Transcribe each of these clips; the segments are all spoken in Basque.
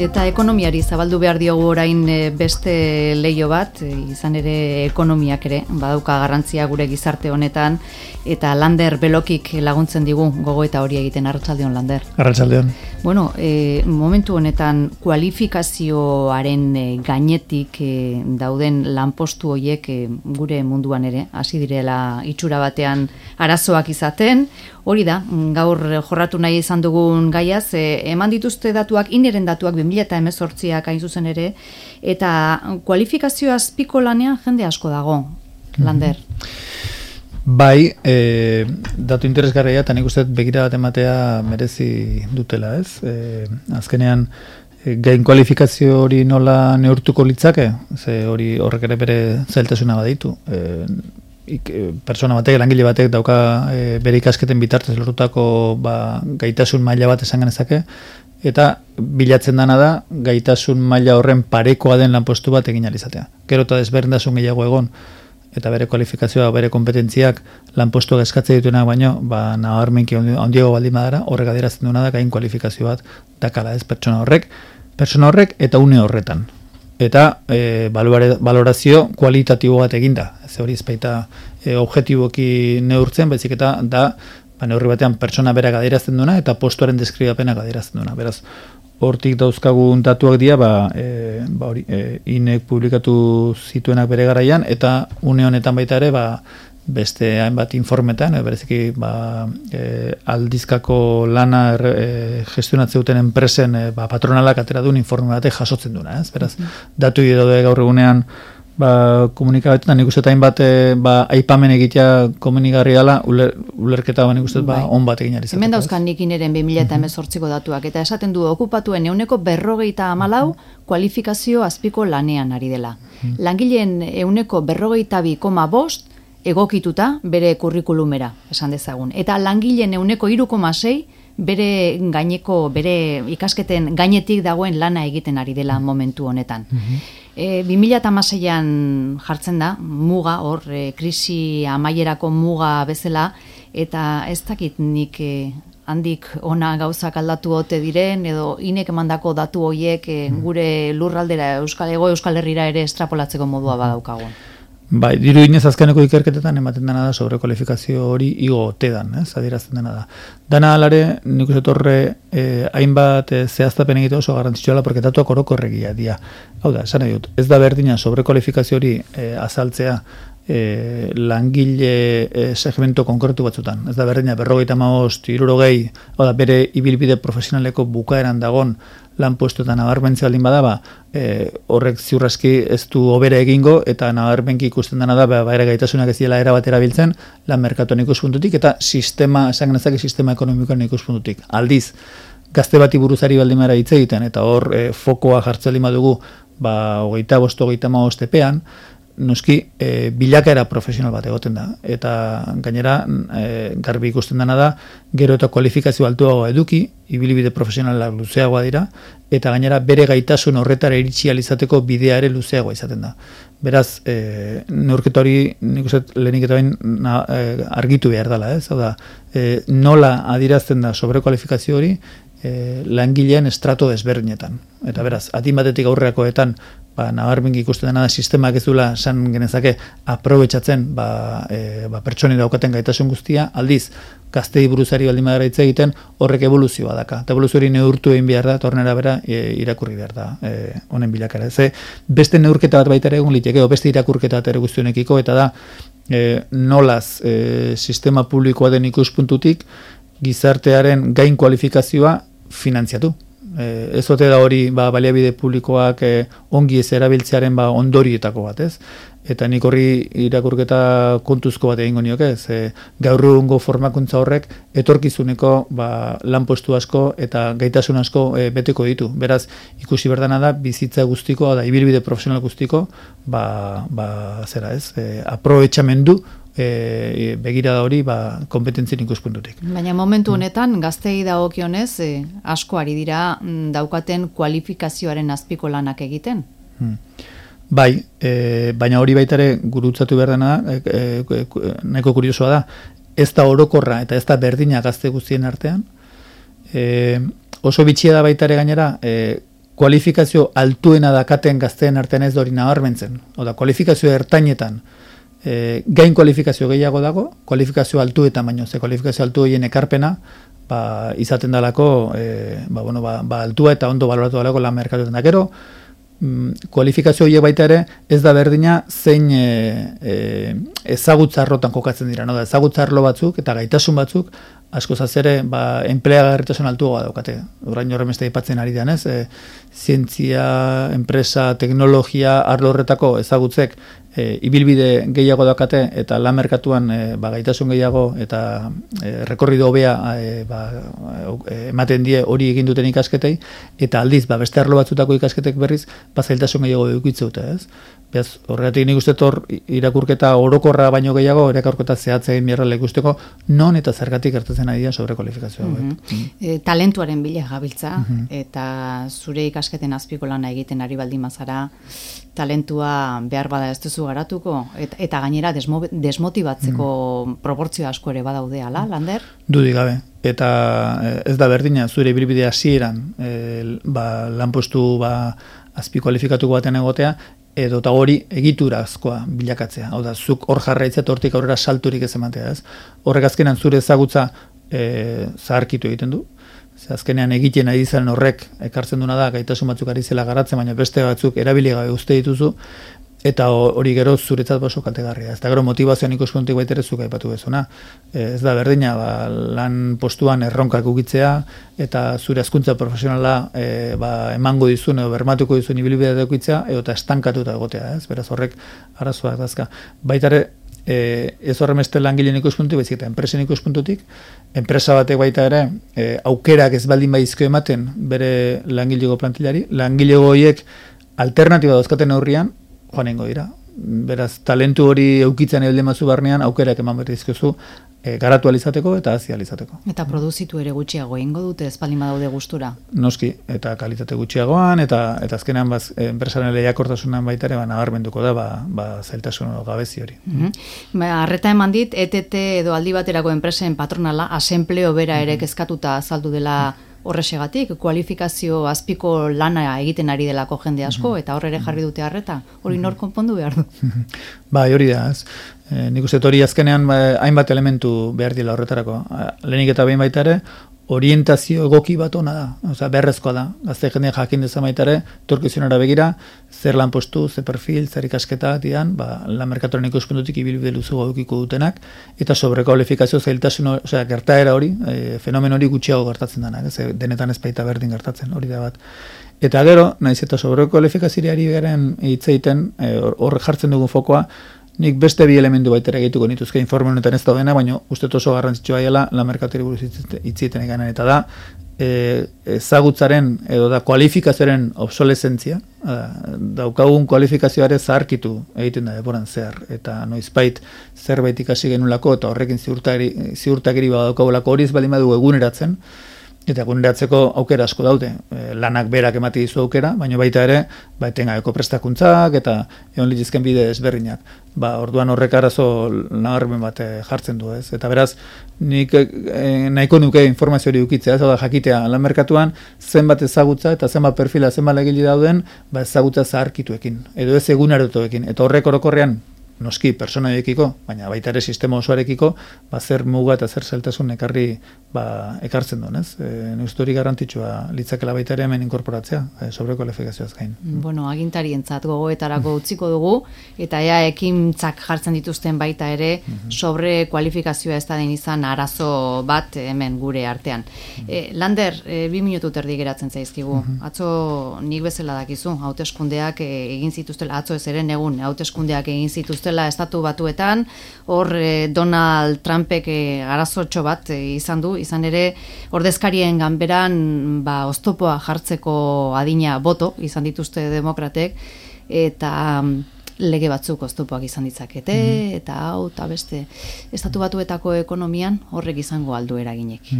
Eta ekonomiari zabaldu behar diogu orain beste leio bat, izan ere ekonomiak ere badauka garrantzia gure gizarte honetan, eta Lander Belokik laguntzen digu gogoeta hori egiten. Arratsaldeon, Lander. Arratsaldeon. Bueno, momentu honetan kualifikazioaren gainetik dauden lanpostu horiek gure munduan ere hasi direla itxura batean arazoak izaten. Hori da, gaur jorratu nahi izan dugun gaiaz, eman dituzte datuak, ineren datuak 2018ak hain zuzen ere, eta kualifikazio azpiko lanean jende asko dago, Lander. Bai, datu interesgarria eta nik uste begira bat ematea merezi dutela, ez? Azkenean, gain kualifikazio hori nola neurtuko litzake, ze hori horrek ere bere zailtasuna baditu. Persona batek, langile batek dauka bere ikasketen bitartez lortutako gaitasun maila bat esan genezake, eta bilatzen dana da gaitasun maila horren parekoa den lanpostu bat egin ahal izatea. Gero eta desberdintasun gehiago egon, eta bere kualifikazioa, bere kompetentziak lanpostuak eskatzen dituenak baino, nabarmenki handiago baldin badara, horrek adierazten duena da gain kualifikazio bat dakala, ez pertsona horrek eta une horretan. Eta balorazio kualitatibo bat eginda. Ez hori ezpaita objektiboki neurtzen, baizik eta da neurri batean pertsona berak adierazten duena eta postuaren deskribapenak adierazten duena. Beraz, hortik dauzkagun datuak dira, INEk publikatu zituenak bere garaian, eta une honetan baita ere, beste hainbat informetan, bereziki aldizkako lana gestionatzeuten enpresen patronalak atera duen informe batek jasotzen duena, ez? Beraz, datu daude gaur egunean komunikabetetan, nik uste hainbat aipamen egitea komunigarri dela, ulerketa nik uste on bat egin arizateko. Hemen dauzkan nik ineren 2018ko datuak, eta esaten du okupatuen 54% kualifikazio azpiko lanean ari dela. Langileen 52,5% egokituta bere kurrikulumera, esan dezagun. Eta langileen 3,6% bere ikasketen gainetik dagoen lana egiten ari dela momentu honetan. 2016an jartzen da, muga, hor, krisi amaierako muga bezala, eta ez dakit nik handik ona gauzak aldatu ote diren, edo inek emandako datu horiek gure lurraldera Euskal Herrira ere estrapolatzeko modua badaukagun. Bai, dirudienez azkeneko ikerketetan ematen dena da sobrekualifikazio hori igo ote dan, adierazten dena da. Dana alare, nik uste torre hainbat zehaztapen egitea oso garrantzitsua, porque datuak orokorregia dira. Hau da, esan nahi dut, ez da berdina sobrekualifikazio hori azaltzea langile segmento konkretu batzutan. Ez da berdina 55, 60, hau da, bere ibilbide profesionaleko bukaeran dagon lanpuestoetan nabarmentzea baldin bada, horrek ziurraski ez du hobera egingo, eta nabarmenki ikusten dena da, ere gaitasunak ez dira erabat erabiltzen, lan merkatuan ikuspuntutik, eta sistema ekonomikoan ikuspuntutik. Aldiz, gazte bati buruzari baldin bada hitz egiten, eta hor fokoa jartzen lima dugu, 25-35 epean, noski bilakaera profesional bat egoten da, eta gainera garbi ikusten dena da, gero eta kualifikazio altuagoa eduki, ibilbide profesionalak luzeagoa dira, eta gainera bere gaitasun horretara iritsi alizateko bidea ere luzeagoa izaten da. Beraz, neurketa hori nik uste lehenik eta bain argitu behar dela, ez? Hau da, nola adierazten da sobrekualifikazio hori langileen estrato desberdinetan. Eta beraz, adin batetik aurrerakoetan nabarmenki ikusten dena da sistemak ez duela esan genezake aprobetxatzen pertsoni daukaten gaitasun guztia, aldiz gaztei buruzari baldin badara hitz egiten horrek evoluzioa daka. Eta evoluzio hori neurtu egin behar da, eta horren arabera irakurri behar da honen bilakara. Beste neurketa bat baita ere egun liteke, beste irakurketa bat ere guztionekiko, eta da nolaz sistema publikoa den ikuspuntutik gizartearen gain kualifikazioa finantziatu. Ez ote da hori baliabide publikoak ongi ez erabiltzearen ondorietako bat, ez? Eta nik horri irakurketa kontuzko bat egingo nioke, ez? Gaur egungo formakuntza horrek etorkizuneko lanpostu asko eta gaitasun asko beteko ditu. Beraz, ikusi berdana da bizitza guztiko, da ibilbide profesional guztiko, aprobetxamendu begirada hori kompetentzien ikuspuntutik. Baina momentu honetan gaztei dagokionez asko ari dira daukaten kualifikazioaren azpiko lanak egiten. Bai, baina hori baita ere gurutzatu behar dena nahiko kuriosoa da, ez da orokorra eta ez da berdina gazte guztien artean. Oso bitxia da baita ere gainera kualifikazio altuena dakaten gazteen artean ez hori nabarmentzen. Oda, kualifikazio ertainetan gain kualifikazio gehiago dago, kualifikazio altuetan baino, ze kualifikazio altu horien ekarpena, izaten dalako, altua eta ondo baloratu dalako lan merkatuetan da. Gero, kualifikazio horiek baita ere, ez da berdina zein ezagutzarrotan kokatzen dira. No? Da, ezagutzarlo batzuk eta gaitasun batzuk, askoz ere, enpleagarritasun altuagoa daukate. Orain horremeste aipatzen ari dean, ez? Zientzia, enpresa, teknologia, arlo horretako ezagutzek ibilbide gehiago daukate eta lan merkatuan gaitasun gehiago eta rekorrido hobea ematen die hori egin duten ikasketei, eta aldiz, beste arlo batzutako ikasketek berriz, zailtasun gehiago edukitze dute, ez? Beaz, horregatik nik uste hor irakurketa orokorra baino gehiago, irakurketa zehatza egin beharrela ikusteko, non eta zergatik gertatzen ari da sobrekualifikazioa. Talentuaren bila gabiltza, eta zure ikasketen azpiko lana egiten ari baldin bazara, talentua behar bada ez duzu garatuko, eta gainera desmotibatzeko proportzio asko ere badaude, ala, Lander? Dudik gabe. Eta ez da berdina, zure ibilbide hasieran lanpostu azpi kualifikatuko baten egotea, edo eta hori egiturazkoa bilakatzea. Hau da, zuk hor jarraitzea eta hortik aurrera salturik ez ematea, ez? Horrek azkenan zure ezagutza zaharkitu egiten du. Azkenean egiten ari zen horrek ekartzen duna da, gaitasun batzuk ari zela garatzen, baina beste batzuk erabili gabe uste dituzu, eta hori gero zuretzat oso kaltegarria. Ez da gero motivazioan ikuspuntutik baita ere zuk aipatu bezuna. Ez da berdina, lan postuan erronkak ukitzea, eta zure hezkuntza profesionala emango dizun edo bermatuko dizun ibilbidea edukitzea, edo eta estankatuta egotea, ez? Beraz horrek arazoak dazka. Baita ere, ez horremeste langileen ikuspuntutik, baizik eta enpresen ikuspuntutik, enpresa batek baita ere, aukerak ez baldin baizko ematen bere langilego plantilari, langilego horiek alternatiba dauzkaten aurrian, joanengo dira. Beraz, talentu hori eukitzen edo mazu barnean, aukerak eman berrizkozu, garatu alizateko eta hazi alizateko. Eta produzitu ere gutxiago egingo dute, ez baldin badaude gustura? Noski, eta kalitate gutxiagoan, eta azkenean enpresaren lehiakortasunan baita ere nabarmenduko da, zailtasun gabezi hori. Arreta eman dit, ETT edo aldi baterako enpresen patronala, asempleo bera ere kezkatuta azaldu dela horrexegatik, kualifikazio azpiko lana egiten ari delako jende asko, eta horre ere jarri dute arreta, hori nor konpondu behar du? Hori da, ez. Nik uste hori azkenean hainbat elementu behar dila horretarako. Lehenik eta behin baita ere, orientazio egoki bat ona da, osea beharrezkoa da. Gazte jendea jakin dezan baita ere, etorkizunera begira, zer lanpostu, zer perfil, zer ikasketa dian, lan merkatuaren ikuspuntutik ibilbide luzu edukiko dutenak, eta sobrekualifikazio zailtasun, osea gertaera hori, fenomen hori gutxiago gertatzen denak, denetan ez baita berdin gertatzen, hori da bat. Eta gero, naiz eta sobrekualifikazioari garen hitz egiten, hor jartzen dugun fokoa, nik beste bi elementu baitera egituko nituzke informe honetan ez daudena, baina uste oso garrantzitsua dela lan merkatuari buruz hitzieten eganen, eta da ezagutzaren edo da kualifikazioaren obsolesentzia, daukagun kualifikazioare zaharkitu egiten da denboran zehar, eta noizbait zerbait ikasi genulako eta horrekin ziurtagiri badaukagulako hori ez baldin badu eguneratzen, eta eguneratzeko aukera asko daude, lanak berak emati dizu aukera, baina baita ere, etengabeko prestakuntzak eta egon litizken bide ezberdinak. Orduan horrek arazo nabarmen bat jartzen du, ez? Eta beraz, nik nahiko nuke informazio hori ukitzea, ez da jakitea lan merkatuan zenbat ezagutza eta zenbat perfila, zenbat legili dauden, ezagutza zaharkituekin, edo ez egunarotoekin, eta horrek orokorrean noski pertsonaekiko, baina baita ere sistema osoarekiko, zer muga eta zer zailtasun ekartzen duen, ez? Neuste hori garrantzitsua litzakela baita ere hemen inkorporatzea, sobrekualifikazioaz gain. Bueno, agintarientzat gogoetarako utziko dugu, eta ekintzak jartzen dituzten baita ere, sobrekualifikazioa ez da den izan arazo bat hemen gure artean. Lander, 2 minutu terdi geratzen zaizkigu. Atzo nik bezala dakizu, hauteskundeak egin zituztela, atzo ez eren egun, hauteskundeak egin zituztela Estatu Batuetan, hor Donald Trumpek arazotxo bat izan du, izan ere ordezkarien ganberan oztopoa jartzeko adina boto izan dituzte demokratek, eta lege batzuk oztopoak izan ditzakete, eta hau, eta beste Estatu Batuetako ekonomian horrek izango aldu eraginek.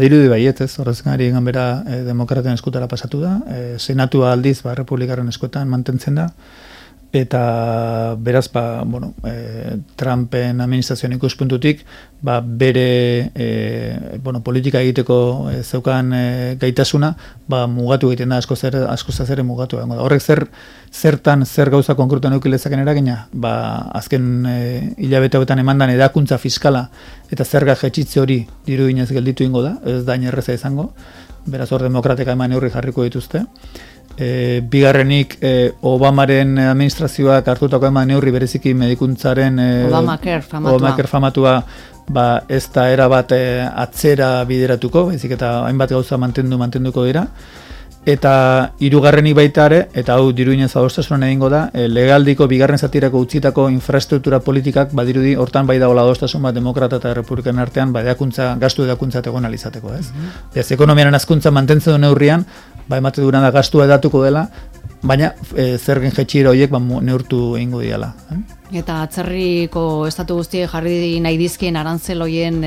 Dirudi baiet, ez, ordezkarien ganbera demokraten eskutara pasatu da, senatua aldiz republikaren eskuetan mantentzen da, eta beraz, Trumpen administrazioan ikuspuntutik, bere politika egiteko zeukan gaitasuna, mugatu egiten da, askoz ere mugatu. Horrek zer gauza konkretuan eukilezaken eragina, azken hilabete hauetan emandan edakuntza fiskala eta zerga jetxitze hori diruginez gelditu ingo da, ez da inerreza izango, beraz hor demokrateka eman neurri jarriko dituzte. Bigarrenik Obamaren administrazioak hartutako eman neurri bereziki medikuntzaren Obamacare famatua ez da erabat atzera bideratuko, baizik eta hainbat gauza mantenduko dira. Eta hirugarrenik baita ere, eta hau diruinez adostasunan egingo da, legaldiko bigarren zatirako utzitako infrastruktura politikak badirudi hortan bai dagoela adostasun bat demokrata eta republikan artean gastu edakuntza egon alizateko, ez? Ez ekonomiaren hazkuntza mantentzen du neurrian, emate duran da gastua edatuko dela, baina zergen jetxira horiek neurtu egingo diala. Eta atzerriko estatu guztiek jarri nahi dizkien arantzel hoien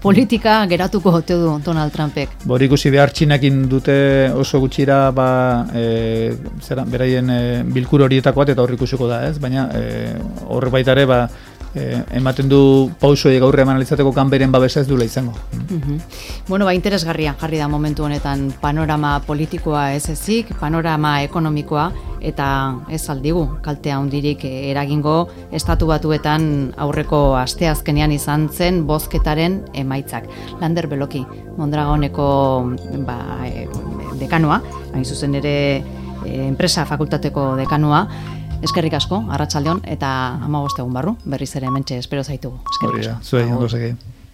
politika geratuko ote du Donald Trumpek. Ikusi behar Txinakin dute oso gutxira beraien bilkur horietako bat eta hor ikusiko da, ez? Baina horre baita ere ematen du pausoiek aurre eman alizateko kanberen babesa ez duela izango. Interesgarria jarri da momentu honetan panorama politikoa ez ezik, panorama ekonomikoa, eta ez aldigu kaltea hundirik eragingo Estatu Batuetan aurreko asteazkenean izan zen bozketaren emaitzak. Lander Beloki, Mondragoneko dekanoa, hain zuzen ere enpresa fakultateko dekanoa, eskerrik asko, arratsaldeon, eta 15 egun barru, berriz ere hementxe espero zaitugu. Eskerrik asko. Zuei, ondo segi.